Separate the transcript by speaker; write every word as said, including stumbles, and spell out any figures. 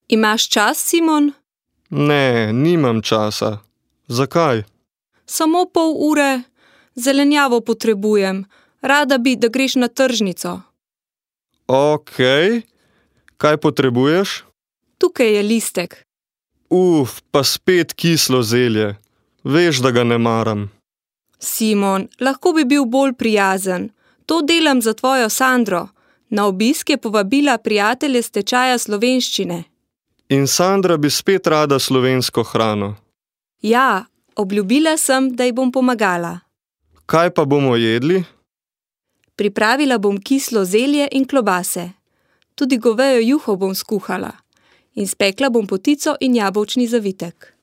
Speaker 1: Imaš čas, Simon?
Speaker 2: Ne, nimam časa. Zakaj?
Speaker 1: Samo pol ure. Zelenjavo potrebujem. Rada bi, da greš na tržnico.
Speaker 2: Okej. Kaj potrebuješ?
Speaker 1: Tukaj je listek.
Speaker 2: Uf, pa spet kislo zelje. Veš, da ga ne maram.
Speaker 1: Simon, lahko bi bil bolj prijazen. To delam za tvojo Sandro. Na obisk je povabila prijatelje s tečaja slovenščine.
Speaker 2: In Sandra bi spet rada slovensko hrano.
Speaker 1: Ja, obljubila sem, da ji bom pomagala.
Speaker 2: Kaj pa bomo jedli?
Speaker 1: Pripravila bom kislo zelje in klobase. Tudi govejo juho bom skuhala. In spekla bom potico in jabolčni zavitek.